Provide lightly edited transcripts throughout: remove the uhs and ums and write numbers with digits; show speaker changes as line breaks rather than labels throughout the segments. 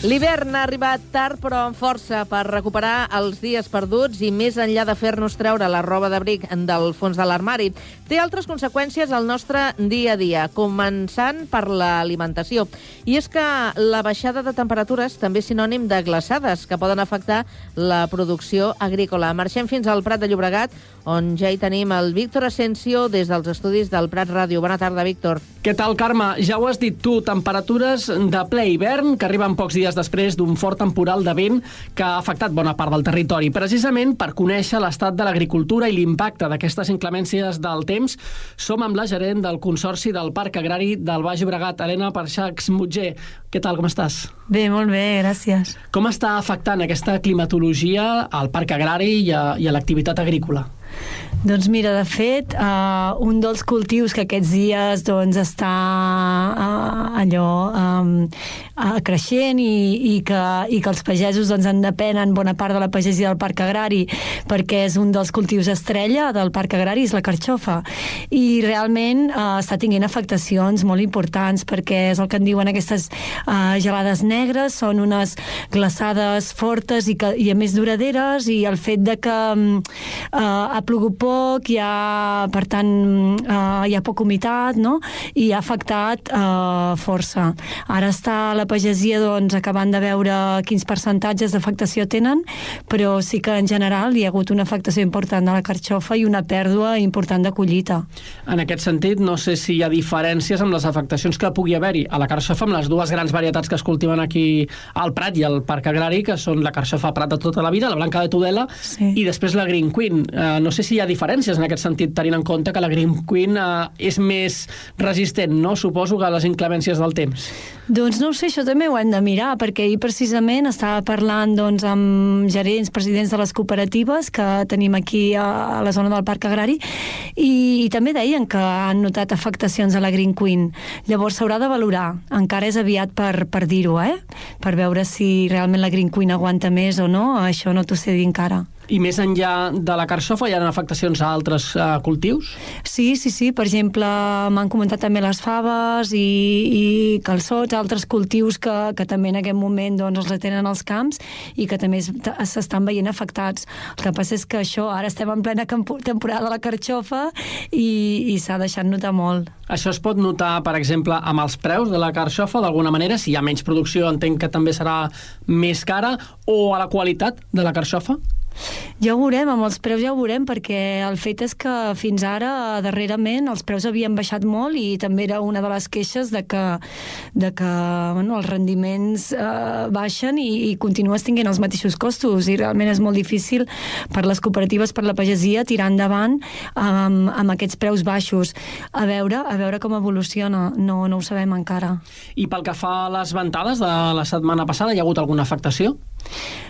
L'hivern ha arribat tard però amb força per recuperar els dies perduts i més enllà de fer-nos treure la roba d'abric del fons de l'armari. Té altres conseqüències al nostre dia a dia, començant per l'alimentació. I és que la baixada de temperatures també és sinònim de glaçades que poden afectar la producció agrícola. Marxem fins al Prat de Llobregat, on ja hi tenim el Víctor Asensio des dels estudis del Prat Ràdio. Bona tarda, Víctor.
Què tal, Carme? Ja ho has dit tu, temperatures de ple hivern que arriben pocs dies després d'un fort temporal de vent que ha afectat bona part del territori. Precisament per conèixer l'estat de l'agricultura i l'impacte d'aquestes inclemències del temps, som amb la gerent del Consorci del Parc Agrari del Baix Llobregat, Helena Parxachs-Mutger. Què tal, com estàs?
Bé, molt bé, gràcies.
Com està afectant aquesta climatologia al Parc Agrari i a l'activitat agrícola?
Doncs mira, de fet, un dels cultius que aquests dies doncs, està creixent i que els pagesos doncs, en depenen bona part de la pagesia del Parc Agrari perquè és un dels cultius estrella del Parc Agrari, és la carxofa. I realment està tinguent afectacions molt importants perquè és el que en diuen aquestes gelades negres, són unes glaçades fortes i a més duraderes, i el fet de que ha plogut poc, per tant hi ha poca humitat, no? I ha afectat força. Ara està la pagesia doncs, acabant de veure quins percentatges d'afectació tenen, però sí que en general hi ha hagut una afectació important de la carxofa i una pèrdua important de collita.
En aquest sentit, no sé si hi ha diferències amb les afectacions que pugui haver-hi a la carxofa amb les dues grans varietats que es cultiven aquí al Prat i al Parc Agrari, que són la carxofa Prat de tota la vida, la blanca de Tudela, sí, i després la Green Queen. No sé si hi ha diferències en aquest sentit, tenint en compte que la Green Queen és més resistent, no? Suposo que a les inclemències del temps.
Doncs no ho sé, això també ho hem de mirar, perquè ahir precisament estava parlant doncs, amb gerents, presidents de les cooperatives que tenim aquí a la zona del Parc Agrari, i també deien que han notat afectacions a la Green Queen. Llavors s'haurà de valorar, encara és aviat per dir-ho, per veure si realment la Green Queen aguanta més o no, això no t'ho sé dir encara.
I més enllà de la carxofa hi ha afectacions a altres cultius?
Sí. Per exemple, m'han comentat també les faves i calçots, altres cultius que també en aquest moment doncs, els tenen als camps i que també s'estan veient afectats. El que passa és que això, ara estem en plena temporada de la carxofa i s'ha deixat notar molt.
Això es pot notar, per exemple, amb els preus de la carxofa, d'alguna manera? Si hi ha menys producció, entenc que també serà més cara, o a la qualitat de la carxofa?
Ja ho veurem, amb els preus ja ho veurem, perquè el fet és que fins ara, darrerament, els preus havien baixat molt i també era una de les queixes de que els rendiments baixen i continues tinguent els mateixos costos, i realment és molt difícil per les cooperatives, per la pagesia, tirar endavant amb aquests preus baixos. A veure com evoluciona, no ho sabem encara.
I pel que fa a les ventades de la setmana passada, hi ha hagut alguna afectació?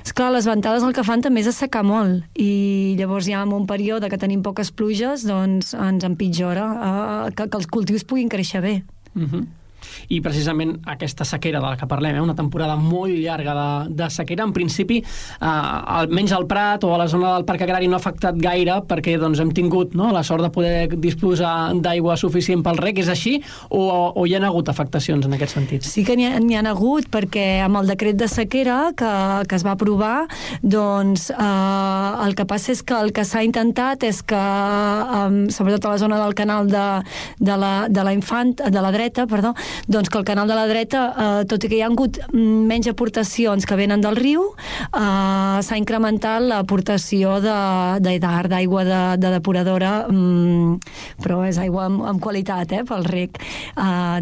Esclar, les ventades el que fan també és assecar molt, i llavors ja en un període que tenim poques pluges doncs ens empitjora que els cultius puguin créixer bé.
I precisament aquesta sequera de la que parlem, una temporada molt llarga de sequera, en principi almenys al Prat o a la zona del Parc Agrari no ha afectat gaire perquè doncs, hem tingut la sort de poder disposar d'aigua suficient pel reg. És així o hi ha hagut afectacions en aquest sentit?
Sí que n'hi ha hagut, perquè amb el decret de sequera que es va aprovar, doncs el que passa és que el que s'ha intentat és que sobretot a la zona del canal de la dreta, doncs que el canal de la dreta, tot i que hi ha hagut menys aportacions que venen del riu, s'ha incrementat l'aportació d'aigua de depuradora, però és aigua amb qualitat, pel reg,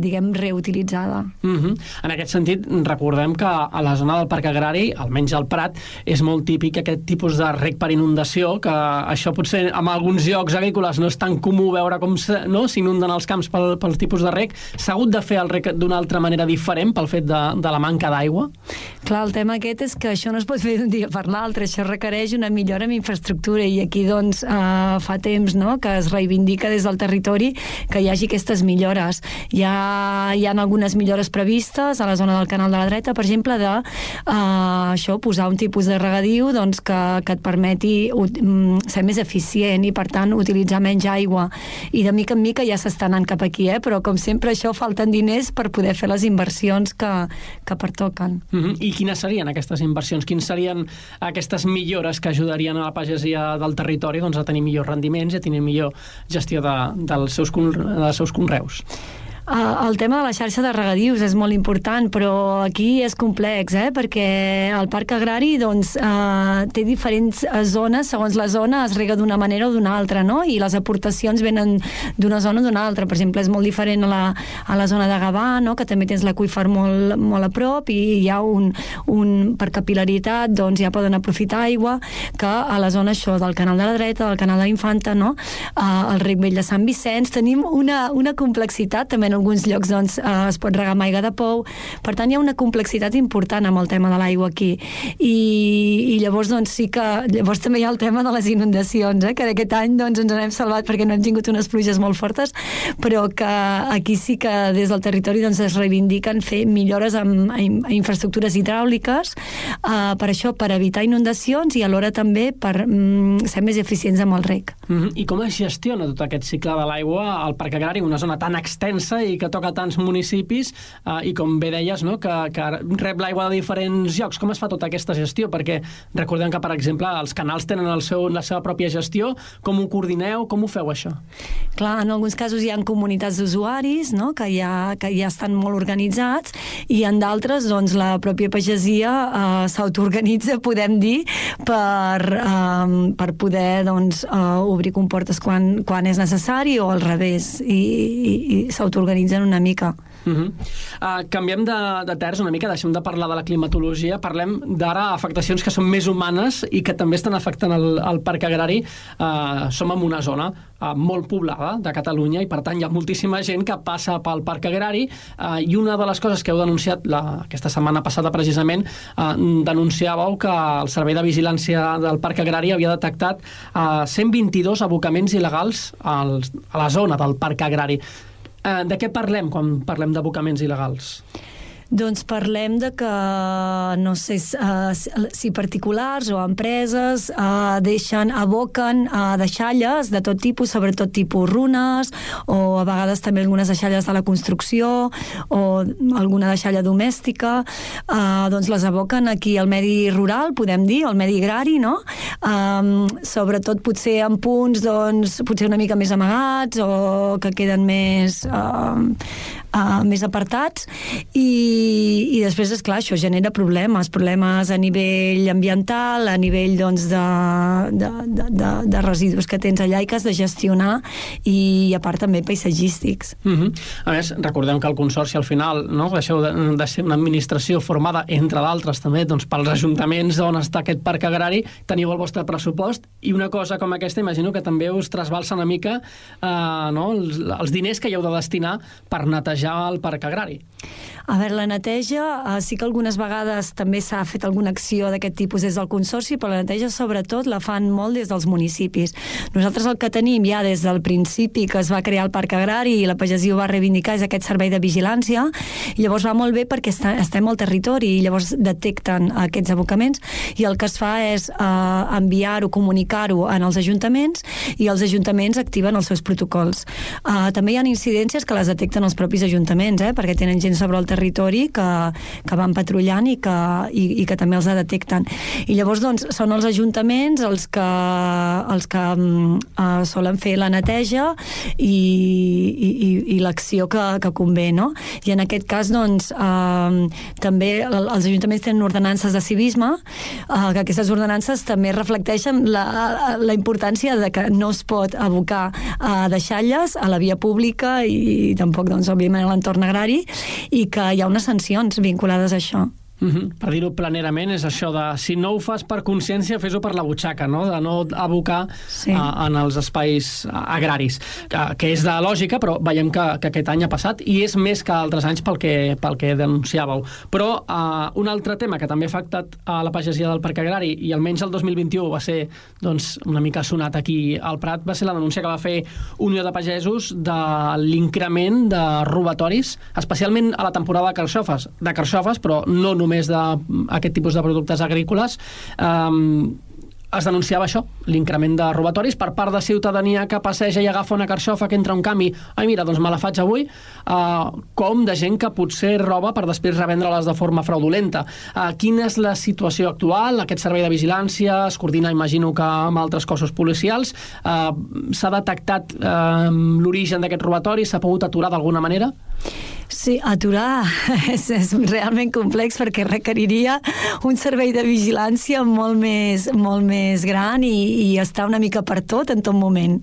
diguem, reutilitzada.
En aquest sentit, recordem que a la zona del Parc Agrari, almenys al Prat, és molt típic aquest tipus de reg per inundació, que això potser en alguns llocs agrícoles no és tan comú veure com s'inunden els camps pel tipus de reg. S'ha hagut de fer el reg d'una altra manera diferent pel fet de la manca d'aigua?
Clar, el tema aquest és que això no es pot fer d'un dia per l'altre, això requereix una millora en infraestructura, i aquí doncs fa temps que es reivindica des del territori que hi hagi aquestes millores. Hi ha algunes millores previstes a la zona del canal de la dreta, per exemple, posar un tipus de regadiu doncs, que et permeti ser més eficient i per tant utilitzar menys aigua, i de mica en mica ja s'està anant cap aquí, però com sempre això falten diners diners per poder fer les inversions que pertoquen.
I quines serien aquestes inversions? Quines serien aquestes millores que ajudarien a la pagesia del territori a tenir millors rendiments i a tenir millor gestió dels seus conreus?
El tema de la xarxa de regadius és molt important, però aquí és complex, perquè el parc agrari té diferents zones, segons la zona es rega d'una manera o d'una altra, no? I les aportacions venen d'una zona o d'una altra. Per exemple, és molt diferent a la zona de Gavà, no? Que també tens l'aqüífer molt a prop i hi ha per capil·laritat ja poden aprofitar aigua, que a la zona del Canal de la Dreta, del Canal de l'Infanta, no? El Rec Vell de Sant Vicenç, tenim una complexitat també en alguns llocs es pot regar amb aigua de pou, per tant hi ha una complexitat important amb el tema de l'aigua aquí i llavors sí que llavors també hi ha el tema de les inundacions, que d'aquest any ens n'hem salvat perquè no hem tingut unes pluges molt fortes, però que aquí sí que des del territori es reivindiquen fer millores en infraestructures hidràuliques per això, per evitar inundacions i alhora també per ser més eficients amb el reg.
I com es gestiona tot aquest cicle de l'aigua al Parc Agrari, una zona tan extensa i que toca tants municipis i com bé deies, no? que rep l'aigua de diferents llocs? Com es fa tota aquesta gestió? Perquè recordem que, per exemple, els canals tenen la seva pròpia gestió. Com ho coordineu? Com ho feu, això?
Clar, en alguns casos hi ha comunitats d'usuaris, no? que ja estan molt organitzats, i en d'altres la pròpia pagesia s'autoorganitza, podem dir, per poder obrir comportes quan és necessari o al revés, i s'autoorganitzen una mica.
Canviem de terç una mica, deixem de parlar de la climatologia, parlem d'ara afectacions que són més humanes i que també estan afectant el Parc Agrari. Som en una zona molt poblada de Catalunya i per tant hi ha moltíssima gent que passa pel Parc Agrari i una de les coses que heu denunciat aquesta setmana passada precisament, denunciàveu que el Servei de Vigilància del Parc Agrari havia detectat 122 abocaments il·legals a la zona del Parc Agrari. De què parlem quan parlem d'abocaments il·legals?
Doncs parlem de que, no sé si particulars o empreses aboquen deixalles de tot tipus, sobretot tipus runes, o a vegades també algunes deixalles de la construcció, o alguna deixalla domèstica, doncs les aboquen aquí al medi rural, podem dir, al medi agrari, no? Sobretot potser en punts, potser una mica més amagats, o que queden més apartats, i després, esclar, això genera problemes a nivell ambiental, a nivell de residus que tens allà i que has de gestionar, i a part també paisatgístics.
A més, recordem que el Consorci al final deixeu de ser una administració formada, entre d'altres també, pels ajuntaments on està aquest parc agrari, teniu el vostre pressupost, i una cosa com aquesta imagino que també us trasbalsa una mica els diners que hi heu de destinar per netejar el parc agrari.
A veure, la neteja, sí que algunes vegades també s'ha fet alguna acció d'aquest tipus des del Consorci, però la neteja sobretot la fan molt des dels municipis. Nosaltres el que tenim ja des del principi que es va crear el Parc Agrari i la pagesia ho va reivindicar és aquest servei de vigilància, i llavors va molt bé perquè estem al territori i llavors detecten aquests abocaments, i el que es fa és enviar-ho, comunicar-ho en els ajuntaments, i els ajuntaments activen els seus protocols. També hi ha incidències que les detecten els propis ajuntaments, perquè tenen gent sobre el territori que van patrullant i que també els detecten. I llavors són els ajuntaments els que solen fer la neteja i l'acció que convé, no? I en aquest cas també els ajuntaments tenen ordenances de civisme, que aquestes ordenances també reflecteixen la importància de que no es pot abocar deixalles a la via pública i tampoc, òbviament, a l'entorn agrari, i que hi ha unes sancions vinculades a això.
Per dir-ho planerament, és això de si no ho fas per consciència, fes-ho per la butxaca, no? De no abocar en els espais agraris, que és de lògica, però veiem que aquest any ha passat, i és més que altres anys pel que denunciàveu. Però un altre tema que també ha afectat a la pagesia del Parc Agrari, i almenys el 2021 va ser una mica sonat aquí al Prat, va ser la denúncia que va fer Unió de Pagesos de l'increment de robatoris, especialment a la temporada de carxofes, però no només d'aquest tipus de productes agrícoles. es denunciava això, l'increment de robatoris per part de ciutadania que passeja i agafa una carxofa que entra un canvi, ai mira, doncs me la faig avui, com de gent que potser roba per després revendre-les de forma fraudulenta. Quina és la situació actual? Aquest servei de vigilància es coordina, imagino, que amb altres cossos policials. S'ha detectat l'origen d'aquest robatori? S'ha pogut aturar d'alguna manera?
Sí, aturar és realment complex perquè requeriria un servei de vigilància molt més gran i estar una mica per tot en tot moment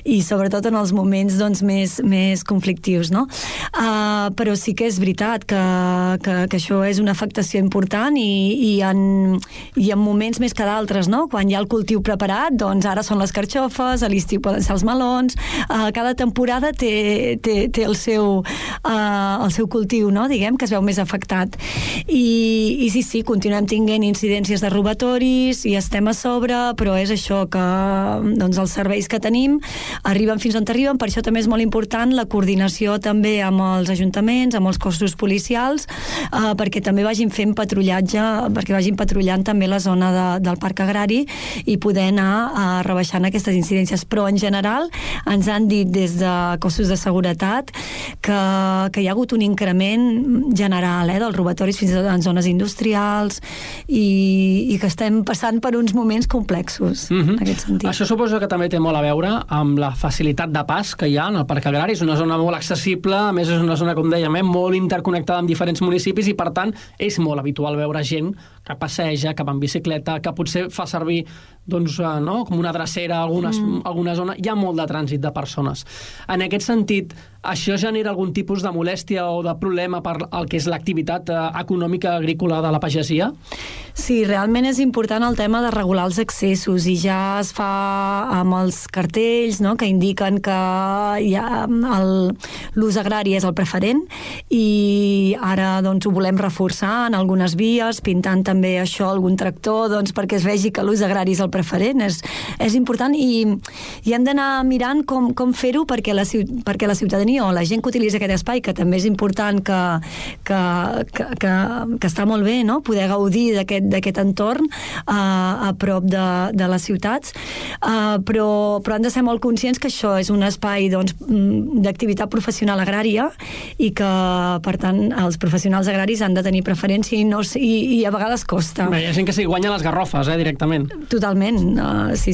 i sobretot en els moments doncs, més conflictius, no? Però sí que és veritat que això és una afectació important i en moments més que d'altres, no? Quan hi ha el cultiu preparat, doncs ara són les carxofes, a l'estiu poden ser els melons, cada temporada té el seu cultiu, no? Diguem, que es veu més afectat. I sí, continuem tinguent incidències de robatoris i estem a sobre, però és això que doncs, els serveis que tenim arriben fins on arriben, per això també és molt important la coordinació també amb els ajuntaments, amb els cossos policials, perquè també vagin fent patrullatge, perquè vagin patrullant també la zona del parc agrari i poder anar rebaixant aquestes incidències. Però en general ens han dit des de cossos de seguretat que hi ha hagut un increment general dels robatoris fins i tot en zones industrials i que estem passant per uns moments complexos en aquest sentit.
Això suposo que també té molt a veure amb la facilitat de pas que hi ha en el parc agrari. És una zona molt accessible, a més és una zona, com dèiem, molt interconnectada amb diferents municipis i per tant és molt habitual veure gent que passeja, que va en bicicleta, que potser fa servir doncs, no? Com una drecera a alguna zona. Hi ha molt de trànsit de persones. En aquest sentit, això genera algun tipus de molèstia o de problema per el que és l'activitat econòmica agrícola de la pagesia?
Sí, realment és important el tema de regular els accessos i ja es fa amb els cartells, no?, que indiquen que l'ús agrari és el preferent i ara doncs, ho volem reforçar en algunes vies, pintant també això algun tractor doncs, perquè es vegi que l'ús agrari és el preferent. És important i hem d'anar mirant com fer-ho perquè la ciutadania o la gent que utilitza aquest espai, que també és important que està molt bé, no?, poder gaudir d'aquest entorn a prop de les ciutats, però han de ser molt conscients que això és un espai doncs, d'activitat professional agrària i que, per tant, els professionals agraris han de tenir preferència i a vegades costa.
Bé, hi ha gent que s'hi guanya les garrofes, directament.
Totalment. Sí,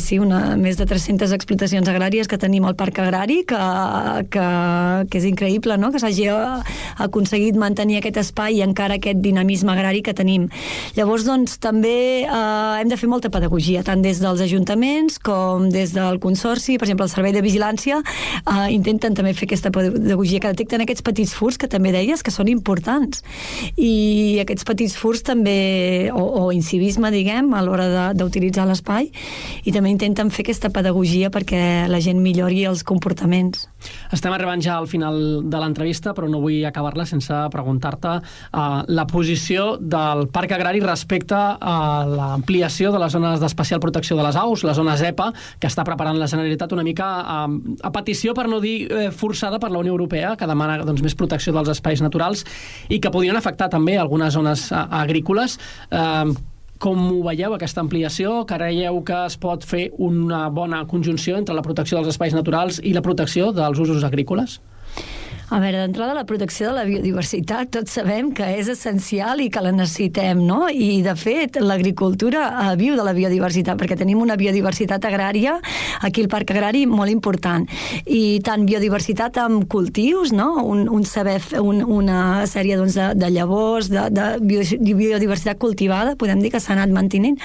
més de 300 explotacions agràries que tenim al parc agrari, que és increïble, no?, que s'hagi aconseguit mantenir aquest espai i encara aquest dinamisme agrari que tenim. Llavors, doncs, també hem de fer molta pedagogia, tant des dels ajuntaments com des del consorci. Per exemple, el servei de vigilància intenten també fer aquesta pedagogia, que detecten aquests petits furts que també deies que són importants. I aquests petits furts també, o incivisme, diguem, a l'hora d'utilitzar l'espai, i també intenten fer aquesta pedagogia perquè la gent millori els comportaments.
Estem arribant ja al final de l'entrevista, però no vull acabar-la sense preguntar-te la posició del parc agrari respecte a l'ampliació de les zones d'especial protecció de les aus, la zona ZEPA, que està preparant la Generalitat una mica a petició, per no dir forçada, per la Unió Europea, que demana doncs, més protecció dels espais naturals i que podrien afectar també algunes zones agrícoles. Com ho veieu, aquesta ampliació? Creieu que es pot fer una bona conjunció entre la protecció dels espais naturals i la protecció dels usos agrícoles?
A veure, d'entrada, la protecció de la biodiversitat tots sabem que és essencial i que la necessitem, no? I, de fet, l'agricultura viu de la biodiversitat, perquè tenim una biodiversitat agrària aquí al parc agrari molt important. I tant biodiversitat amb cultius, no? Una sèrie doncs, de llavors, de biodiversitat cultivada, podem dir que s'ha anat mantenint,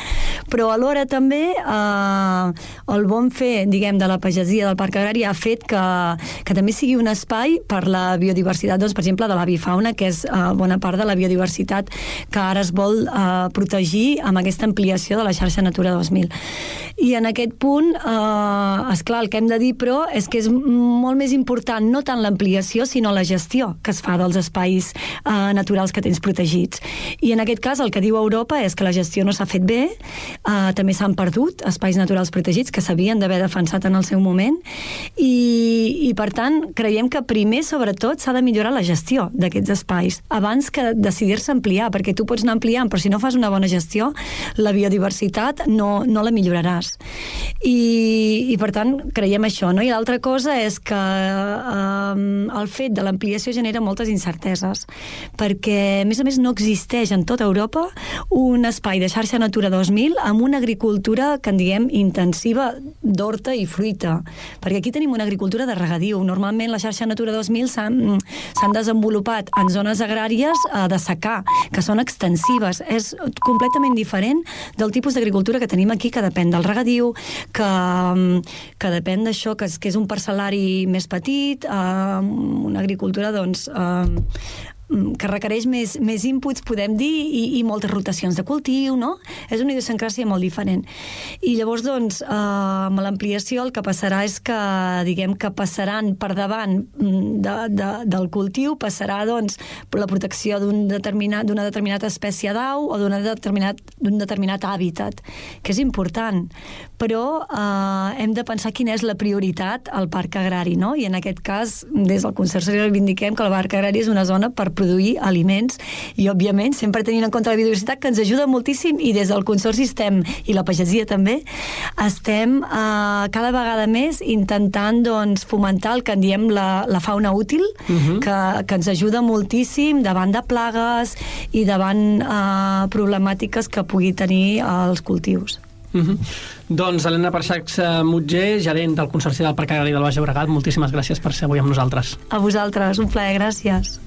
però alhora també el bon fer, diguem, de la pagesia del parc agrari ha fet que també sigui un espai per la biodiversitat, doncs, per exemple, de l'avifauna, que és bona part de la biodiversitat que ara es vol protegir amb aquesta ampliació de la xarxa Natura 2000. I en aquest punt, esclar, el que hem de dir, però, és que és molt més important no tant l'ampliació, sinó la gestió que es fa dels espais naturals que tens protegits. I en aquest cas, el que diu Europa és que la gestió no s'ha fet bé, també s'han perdut espais naturals protegits que s'havien d'haver defensat en el seu moment, i per tant, creiem que primer, sobretot, s'ha de millorar la gestió d'aquests espais, abans que decidir-se ampliar, perquè tu pots anar ampliant, però si no fas una bona gestió, la biodiversitat no la milloraràs. I per tant, creiem això, no? I l'altra cosa és que el fet de l'ampliació genera moltes incerteses, perquè, a més, no existeix en tota Europa un espai de xarxa Natura 2000 amb una agricultura, que en diguem, intensiva d'horta i fruita, perquè aquí tenim una agricultura de regadiu. Normalment la xarxa Natura 2000 s'han desenvolupat en zones agràries de secà, que són extensives. És completament diferent del tipus d'agricultura que tenim aquí, que depèn del regadiu, que depèn d'això, que és un parcel·lari més petit, una agricultura, doncs, que requereix més inputs, podem dir, i moltes rotacions de cultiu, no? És una idiosincràsia molt diferent. I llavors, doncs, amb l'ampliació el que passarà és que, diguem, que passaran per davant del cultiu, passarà, doncs, la protecció d'una determinada espècie d'au o d'un determinat hàbitat, que és important. Però hem de pensar quina és la prioritat al parc agrari, no? I en aquest cas, des del Consorci reivindiquem que el parc agrari és una zona per produir aliments i, òbviament, sempre tenint en compte la biodiversitat, que ens ajuda moltíssim, i des del Consorci i la pagesia també, estem cada vegada més intentant, doncs, fomentar el que en diem la fauna útil, que ens ajuda moltíssim davant de plagues i davant problemàtiques que pugui tenir els cultius.
Doncs Helena Parxachs Mutger, gerent del Consorci del Parc Agrari del Baix Llobregat, moltíssimes gràcies per ser avui amb nosaltres.
A vosaltres, un plaer, gràcies.